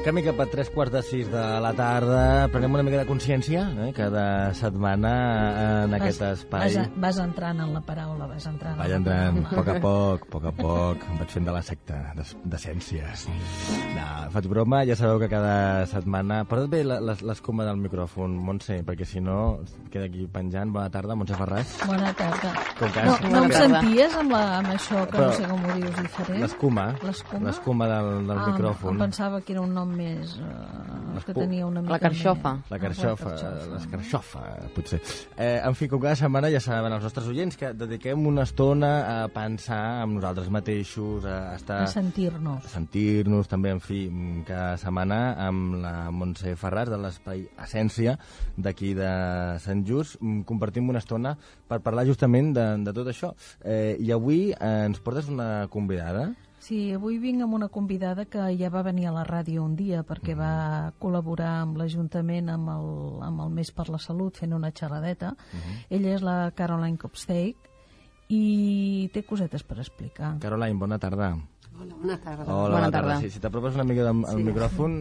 Camí cap a 3:15 de la tarda. Prenem una mica de consciència, cada setmana en aquest espai. Vas entrant en la paraula, vas entrant. Vaig entrant, a poc a poc. Em vaig fent de la secta, d'essència. Sí. No, faig broma, ja sabeu que cada setmana... Porta't bé l'escuma del micròfon, Montse, perquè si no queda aquí penjant. Bona tarda, Montse Ferràs. Bona tarda. No em senties amb això, que no sé com ho dius diferent? L'escuma del micròfon. Em pensava que era un nom més... que tenia una mica la carxofa. La carxofa, potser. En fi, com cada setmana ja saben els nostres oients que dediquem una estona a pensar en nosaltres mateixos, a estar... A sentir-nos. A sentir-nos, també, en fi, cada setmana amb la Montse Ferràs de l'Espai Essència d'aquí de Sant Just. Compartim una estona per parlar justament de tot això. I avui ens portes una convidada. Sí, avui vinc amb una convidada que ja va venir a la ràdio un dia perquè va col·laborar amb l'Ajuntament amb el Mes per la Salut fent una xerradeta. Ella és la Caroline Kopsteig i té cosetes per explicar. Caroline, bona tarda. Hola, bona tarda. Bona tarda. Si t'apropes una mica al micròfon...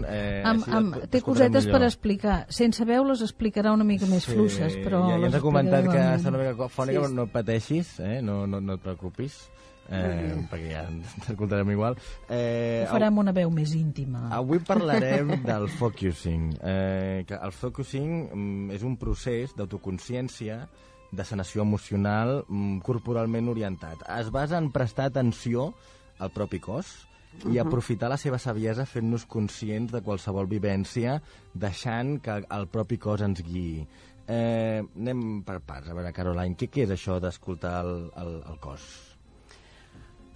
té cosetes per explicar. Sense veu les explicarà una mica més fluixes, però... Ja ens ha comentat que està una mica fònica, però no pateixis, no et preocupis. Perquè ja t'escoltarem igual. Ho farem una veu més íntima. Avui parlarem del focusing. Que el focusing és un procés d'autoconsciència, de sanació emocional, corporalment orientat. Es basa en prestar atenció al propi cos i aprofitar la seva saviesa fent-nos conscients de qualsevol vivència, deixant que el propi cos ens guiï. Anem per parts. A veure, Caroline, què és això d'escoltar el cos?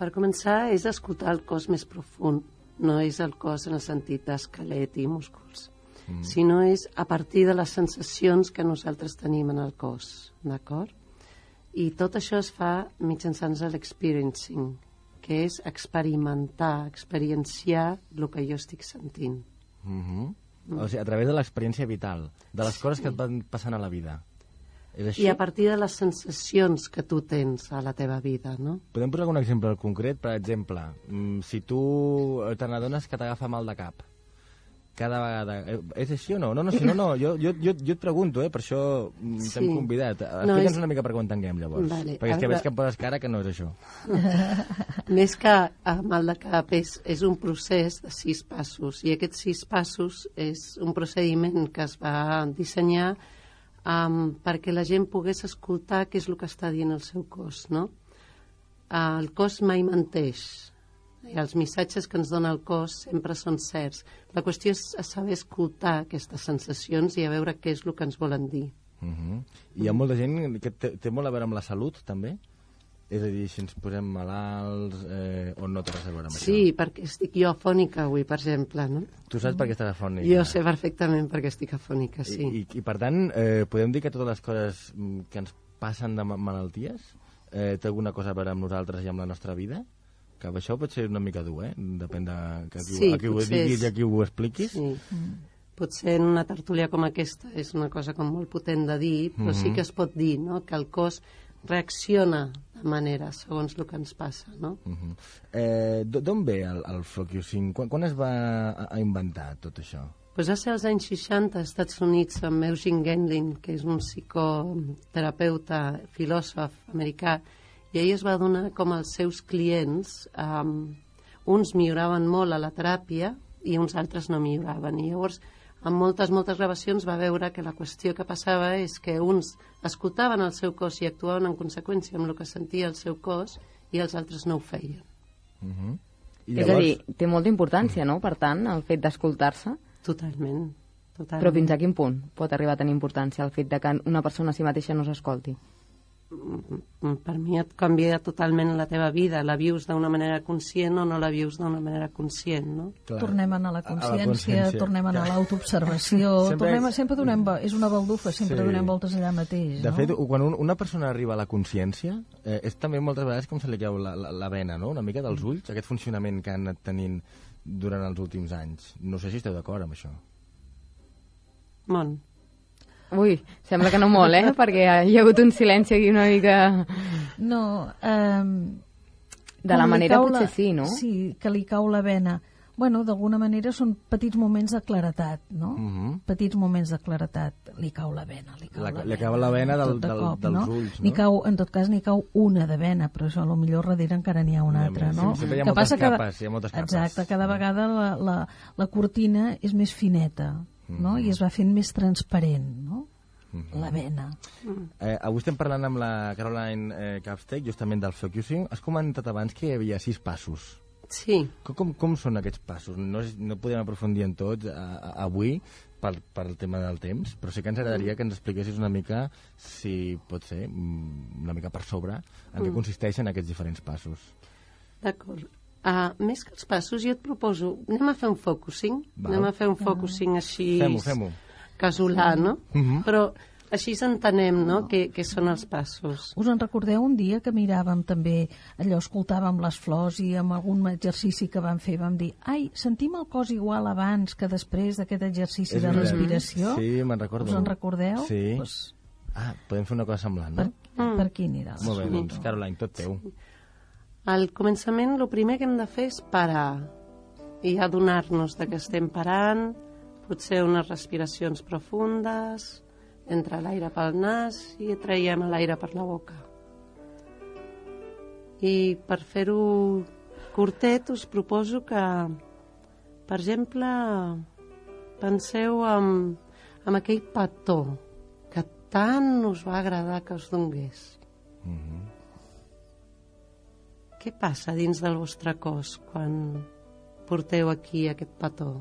Per començar, és escoltar el cos més profund. No és el cos en el sentit d'esquelet i músculs, sinó és a partir de les sensacions que nosaltres tenim en el cos, d'acord? I tot això es fa mitjançant l'experiencing, que és experimentar, experienciar el que jo estic sentint. O sigui, a través de l'experiència vital, de les coses que et van passant a la vida. I a partir de les sensacions que tu tens a la teva vida, no? Podem posar algun exemple concret? Per exemple, si tu te n'adones que t'agafa mal de cap, cada vegada... És així o no? No, jo et pregunto, per això t'hem convidat. Explica'ns una mica per què ho entenguem, llavors. Vale, perquè és que veig que em poses cara que no és això. Més que mal de cap, és un procés de 6 passos, i aquests 6 passos és un procediment que es va dissenyar perquè la gent pogués escoltar què és el que està dient el seu cos, no? El cos mai menteix. I els missatges que ens dona el cos sempre són certs. La qüestió és saber escoltar aquestes sensacions i a veure què és el que ens volen dir. Hi ha molta gent que té molt a veure amb la salut, també? És a dir, si ens posem malalts o no té res a veure amb això? Sí, perquè estic jo afònica avui, per exemple, no? Tu saps per què estàs afònica? Jo sé perfectament perquè estic afònica, sí. I per tant, podem dir que totes les coses que ens passen de malalties té alguna cosa a veure amb nosaltres i amb la nostra vida? Que això pot ser una mica dur, depèn de a qui ho diguis i a qui ho expliquis. Sí. Potser en una tertúlia com aquesta és una cosa com molt potent de dir, però sí que es pot dir, no?, que el cos reacciona de manera segons el que ens passa, no? D'on ve el focusing? Quan es va inventar tot això? Pues va ser als anys 60 als Estats Units amb Eugene Gendlin, que és un psicoterapeuta, filòsof americà, i ell es va donar com els seus clients, uns milloraven molt a la teràpia i uns altres no milloraven. I llavors, amb moltes gravacions va veure que la qüestió que passava és que uns escoltaven el seu cos i actuaven en conseqüència amb el que sentia el seu cos i els altres no ho feien. És a dir, té molta importància, no?, per tant, el fet d'escoltar-se? Totalment. Però fins a quin punt pot arribar a tenir importància el fet de que una persona a si mateixa no s'escolti? Per mi et canvia totalment la teva vida. La vius d'una manera conscient o no la vius d'una manera conscient, no? Clar. Tornem a anar a la consciència, tornem a anar a l'autoobservació, sempre donem... És una baldufa, sempre donem voltes allà mateix, De fet, quan una persona arriba a la consciència, és també moltes vegades com se li cau la vena, no?, una mica dels ulls, aquest funcionament que han anat tenint durant els últims anys. No sé si esteu d'acord amb això. Ui, sembla que no molt, perquè hi ha hagut un silenci aquí una mica... No, de la manera potser sí, no? Sí, que li cau la vena. Bueno, d'alguna manera són petits moments de claretat, no? Petits moments de claretat. Li cau la vena, li cau la vena tot de cop, dels no? ulls, no? En tot cas, n'hi cau una de vena, però això potser darrere encara n'hi ha una altra, no? Sempre hi ha moltes capes, Exacte, cada vegada la cortina és més fineta, no? I es va fent més transparent, no? La vena. Avui estem parlant amb la Caroline Kapstek, justament del focusing. Has comentat abans que hi havia 6 passos. Sí. Com són aquests passos? No podem aprofundir en tots avui pel tema del temps, però sí que ens agradaria que ens expliquessis una mica, si pot ser, una mica per sobre, en què consisteixen aquests diferents passos. D'acord. Més que els passos, jo et proposo, anem a fer un focusing. Anem a fer un focusing així... Fem-ho. Casolà, no? Però així s'entenem, no?, què són els passos. Us en recordeu un dia que miràvem també, allò, escoltàvem les flors i amb algun exercici que vam fer vam dir, ai, sentim el cos igual abans que després d'aquest exercici de respiració? Sí, me'n recordo. Us en recordeu? Sí. Pues... podem fer una cosa semblant, no? Per aquí anirà. Molt bé, doncs, Caroline, tot teu. Al començament, el primer que hem de fer és parar i adonar-nos que estem parant, potser unes respiracions profundes, entra l'aire pel nas i traiem l'aire per la boca. I per fer-ho curtet us proposo que, per exemple, penseu en aquell petó que tant us va agradar que us donés. Què passa dins del vostre cos quan porteu aquí aquest petó?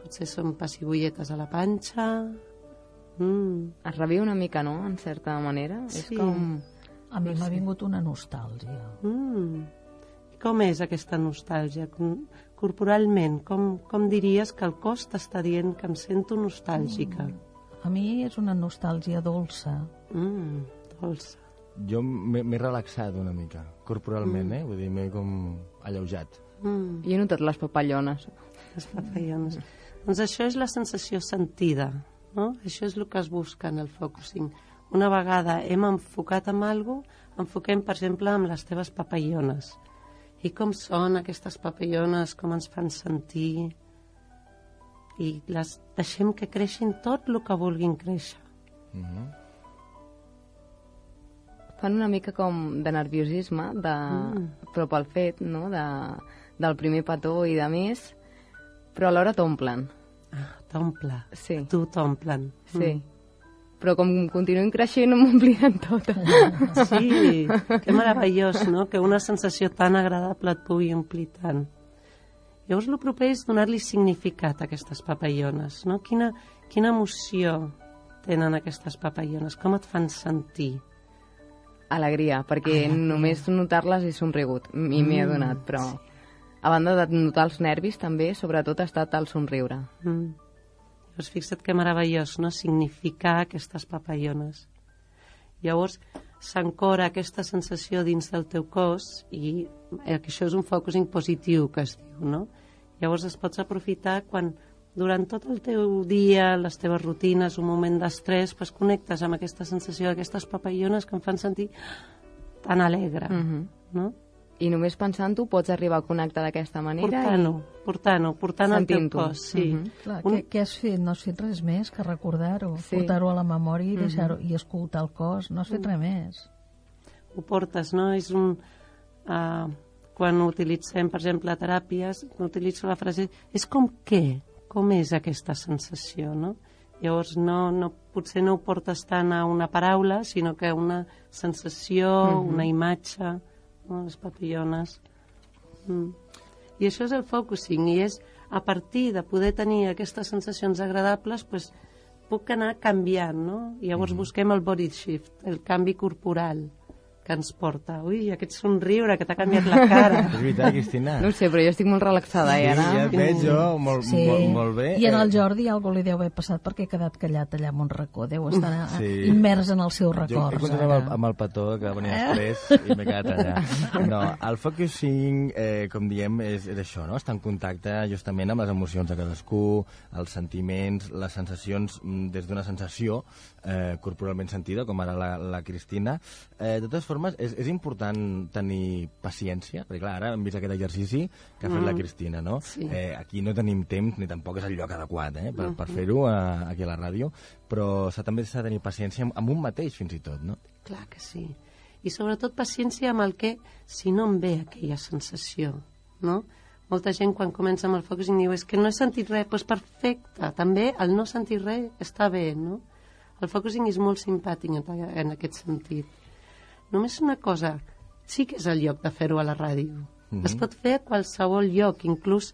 Potser són pessigolletes a la panxa. Es reviu una mica, no?, en certa manera. Sí. És com... A mi m'ha vingut una nostàlgia. Com és aquesta nostàlgia? Corporalment, com diries que el cos t'està dient que em sento nostàlgica? A mi és una nostàlgia dolça. Dolça. Jo m'he relaxat una mica, corporalment, vull dir, m'he com alleujat. Jo he notat les papallones. Les papallones. Doncs això és la sensació sentida, no? Això és el que es busca en el focusing. Una vegada hem enfocat en alguna cosa, enfoquem, per exemple, amb les teves papallones. I com són aquestes papallones, com ens fan sentir, i les deixem que creixin tot el que vulguin créixer. Fan una mica com de nerviosisme, però pel fet, no?, del primer petó i de més, però alhora t'omplen. T'omple. Sí. Tu t'omplen. Sí. Però com continuïn creixent, m'ompliran tota. Sí, que meravellós, no?, que una sensació tan agradable et pugui omplir tant. Llavors, el proper és donar-li significat a aquestes papallones, no? Quina emoció tenen aquestes papallones? Com et fan sentir? Alegria, perquè només notar-les he somrigut, i m'he adonat, però a banda de notar els nervis també, sobretot ha estat el somriure. Llavors, fixa't que meravellós, no?, significar aquestes papallones. Llavors, s'ancora aquesta sensació dins del teu cos i això és un focusing positiu que es diu, no? Llavors es pots aprofitar quan durant tot el teu dia, les teves rutines, un moment d'estrès, pues connectes amb aquesta sensació d'aquestes papallones que em fan sentir tan alegre, no? I només pensant-ho pots arribar a connectar d'aquesta manera? Portant al teu cos, sí. Clar, què has fet? No has fet res més que recordar-ho, portar-ho a la memòria i deixar-ho, i escoltar el cos, no has fet res més. Ho portes, no? És un... quan utilitzem, per exemple, teràpies, utilitzo la frase, és com què? Com és aquesta sensació, no? Llavors, potser no ho portes tant a una paraula, sinó que a una sensació, una imatge, no? Les papillones. I això és el focusing, i és a partir de poder tenir aquestes sensacions agradables, pues, puc anar canviant, no? I llavors busquem el body shift, el canvi corporal que ens porta. Ui, aquest somriure que t'ha canviat la cara. És veritat, Cristina. No ho sé, però jo estic molt relaxada, sí, ara. Ja et veig jo, molt bé. I en el Jordi alguna li deu haver passat perquè ha quedat callat allà en un racó. Deu estar immers en els seus records. Jo he continuat amb el petó que venia després i m'he quedat allà. No, el focusing, com diem, és això, no? Està en contacte justament amb les emocions de cadascú, els sentiments, les sensacions des d'una sensació corporalment sentida, com ara la Cristina. De totes formes, és important tenir paciència, perquè clar, ara hem vist aquest exercici que ha fet la Cristina, no? Sí. Aquí no tenim temps, ni tampoc és el lloc adequat per fer-ho aquí a la ràdio, però també s'ha de tenir paciència amb un mateix, fins i tot, no? Clar que sí. I sobretot paciència amb el que, si no em ve aquella sensació, no? Molta gent quan comença amb el focusing diu és que no he sentit res, doncs perfecte, també el no sentir res està bé, no? El focusing és molt simpàtic en aquest sentit. Només una cosa, sí que és el lloc de fer-ho a la ràdio. Es pot fer a qualsevol lloc, inclús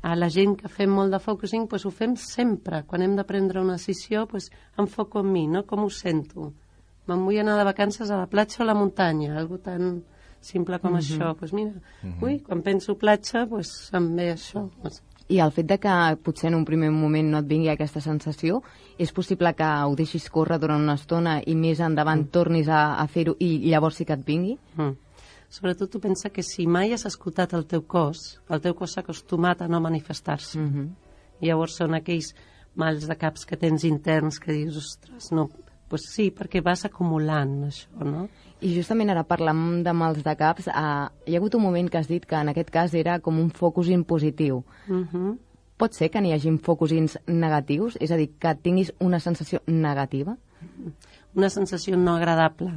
a la gent que fem molt de focusing, doncs ho fem sempre. Quan hem de prendre una decisió, doncs enfoco en mi, no? Com ho sento? Me'n vull anar de vacances a la platja o a la muntanya, algo tan simple com això. Doncs mira, quan penso platja, doncs em ve això. I el fet de que potser en un primer moment no et vingui aquesta sensació, és possible que ho deixis córrer durant una estona i més endavant tornis a fer-ho i llavors sí que et vingui? Sobretot tu pensa que si mai has escoltat el teu cos s'ha acostumat a no manifestar-se. Llavors són aquells mals de caps que tens interns que dius, ostres, no... Pues sí, perquè vas acumulant això, no? I justament ara parlant de mals de caps, hi ha hagut un moment que has dit que en aquest cas era com un focusing positiu. Pot ser que n'hi hagi focusings negatius? És a dir, que tinguis una sensació negativa? Una sensació no agradable.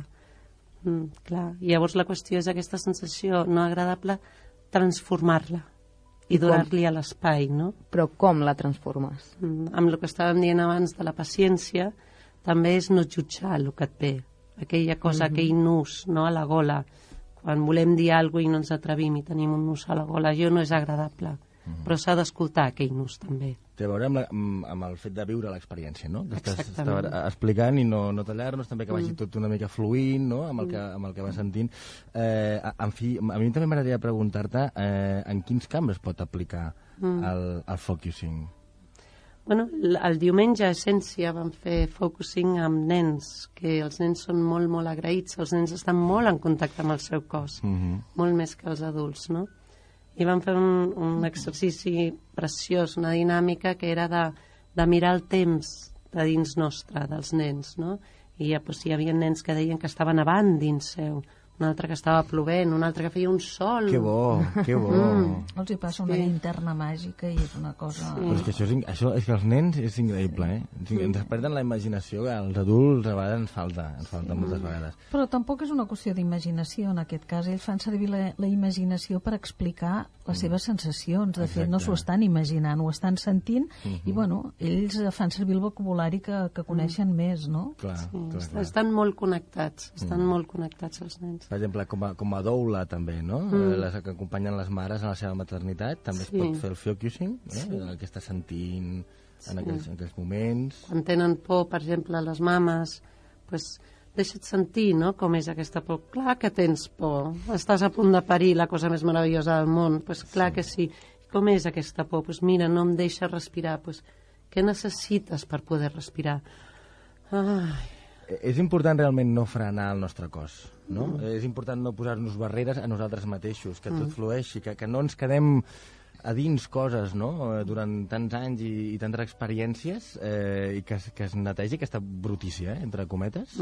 Clar. I llavors la qüestió és aquesta sensació no agradable transformar-la i donar-li a l'espai, no? Però com la transformes? Amb el que estàvem dient abans de la paciència, també és no jutjar el que et ve. Aquella cosa, aquell nus, no, a la gola. Quan volem dir alguna cosa i no ens atrevim i tenim un nus a la gola, allò no és agradable. Però s'ha d'escoltar aquell nus també. Té a veure amb el fet de viure l'experiència, no? Que estàs explicant i no tallar-nos, també que vagi tot una mica fluint, no? amb el que vas sentint. En fi, a mi també m'agradaria preguntar-te en quins camps es pot aplicar el focusing? Bueno, el diumenge a Essència vam fer focusing amb nens, que els nens són molt, molt agraïts, els nens estan molt en contacte amb el seu cos, molt més que els adults, no? I vam fer un exercici preciós, una dinàmica que era de mirar el temps de dins nostre, dels nens, no? I doncs, hi havia nens que deien que estaven nevant dins seu, un altre que estava plovent, un altre que feia un sol. Que bo, que bo. Els hi passa una linterna màgica i és una cosa... Però és que això és que els nens és increïble, Ens perden la imaginació, que als adults a vegades ens falta moltes vegades. Però tampoc és una qüestió d'imaginació, en aquest cas. Ells fan servir la imaginació per explicar les seves sensacions. De fet, no s'ho estan imaginant, ho estan sentint i, bueno, ells fan servir el vocabulari que coneixen més, no? Clar. Estan molt connectats, els nens. Per exemple, com a doula també, no? Les que acompanyen les mares en la seva maternitat, també es pot fer el focusing, el que està sentint en aquells moments. Quan tenen por, per exemple, les mames, doncs deixa't sentir, no?, com és aquesta por. Clar que tens por, estàs a punt de parir la cosa més meravellosa del món, doncs clar que sí. Com és aquesta por? Doncs mira, no em deixa respirar, doncs què necessites per poder respirar? És important realment no frenar el nostre cos, no? És important no posar-nos barreres a nosaltres mateixos, que tot flueixi, que no ens quedem a dins coses, no?, durant tants anys i tantes experiències, i que es netegi aquesta brutícia, entre cometes.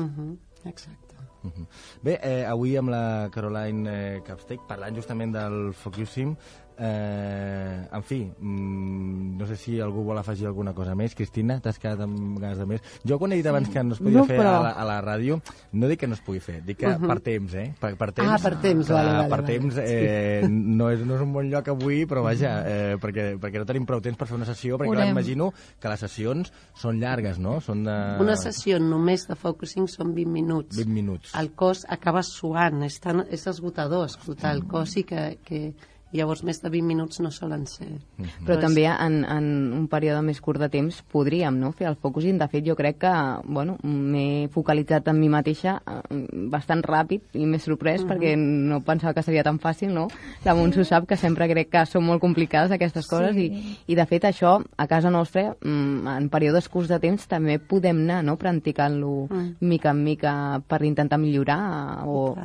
Exacte. Bé, avui amb la Caroline Kapstek, parlant justament del focusing, en fi, no sé si algú vol afegir alguna cosa més. Cristina, t'has quedat amb ganes de més? Jo quan he dit abans que no es podia fer a la ràdio, no dic que no es pugui fer, dic que per temps, Per temps, per temps, vale. Per temps, no és un bon lloc avui, però vaja, perquè no tenim prou temps per fer una sessió, perquè clar, imagino que les sessions són llargues, no? Una sessió només de focusing són 20 minuts. 20 minuts. El cos acaba suant, és esgotador escoltar el cos i que llavors més de 20 minuts no solen ser. Però també en un període més curt de temps podríem, no?, fer el focusing. De fet, jo crec que, bueno, m'he focalitzat en mi mateixa bastant ràpid i m'he sorprès perquè no pensava que seria tan fàcil, no? La Montse ho sap, que sempre crec que són molt complicades aquestes coses i de fet això, a casa nostra, en períodes curts de temps també podem anar, no?, practicant-lo mica en mica per intentar millorar o...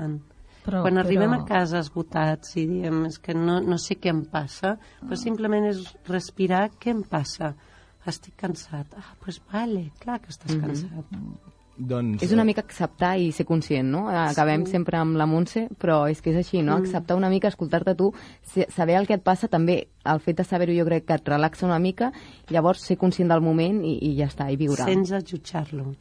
Quan arribem a casa esgotats i diem és que no sé què em passa, però simplement és respirar, què em passa? Estic cansat. Doncs vale, clar que estàs cansat. Doncs, és una mica acceptar i ser conscient, no? Acabem sempre amb la Montse, però és que és així, no? Acceptar una mica, escoltar-te tu, saber el que et passa, també el fet de saber-ho jo crec que et relaxa una mica, llavors ser conscient del moment i ja està, i viure. Sense jutjar-lo.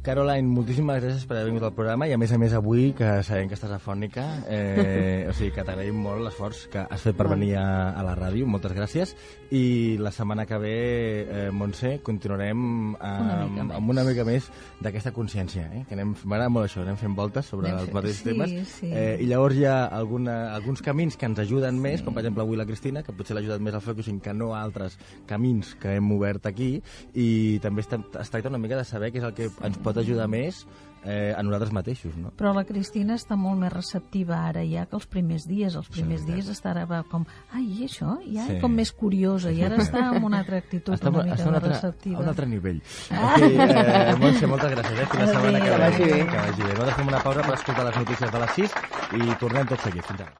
Caroline, moltíssimes gràcies per haver vingut al programa i a més avui, que sabem que estàs afònica, o sigui que t'agraïm molt l'esforç que has fet per venir a la ràdio, moltes gràcies, i la setmana que ve, Montse, continuarem amb una mica més d'aquesta consciència, que m'agrada molt això, anem fent voltes sobre els mateixos temes, i llavors hi ha alguns camins que ens ajuden més, com per exemple avui la Cristina, que potser l'ha ajudat més al focusing que no altres camins que hem obert aquí, i també es tracta una mica de saber què és el que ens pot ajudar més a nosaltres mateixos, no? Però la Cristina està molt més receptiva ara ja que els primers dies. Els primers dies estava com, i això? Ja com més curiosa, i ara està amb una altra actitud una mica més receptiva. A un altre nivell. Montse, moltes gràcies, fins la setmana que vagi bé. Nosaltres fem una pausa per escoltar les notícies de les 6 i tornem tot seguit. Fins ara.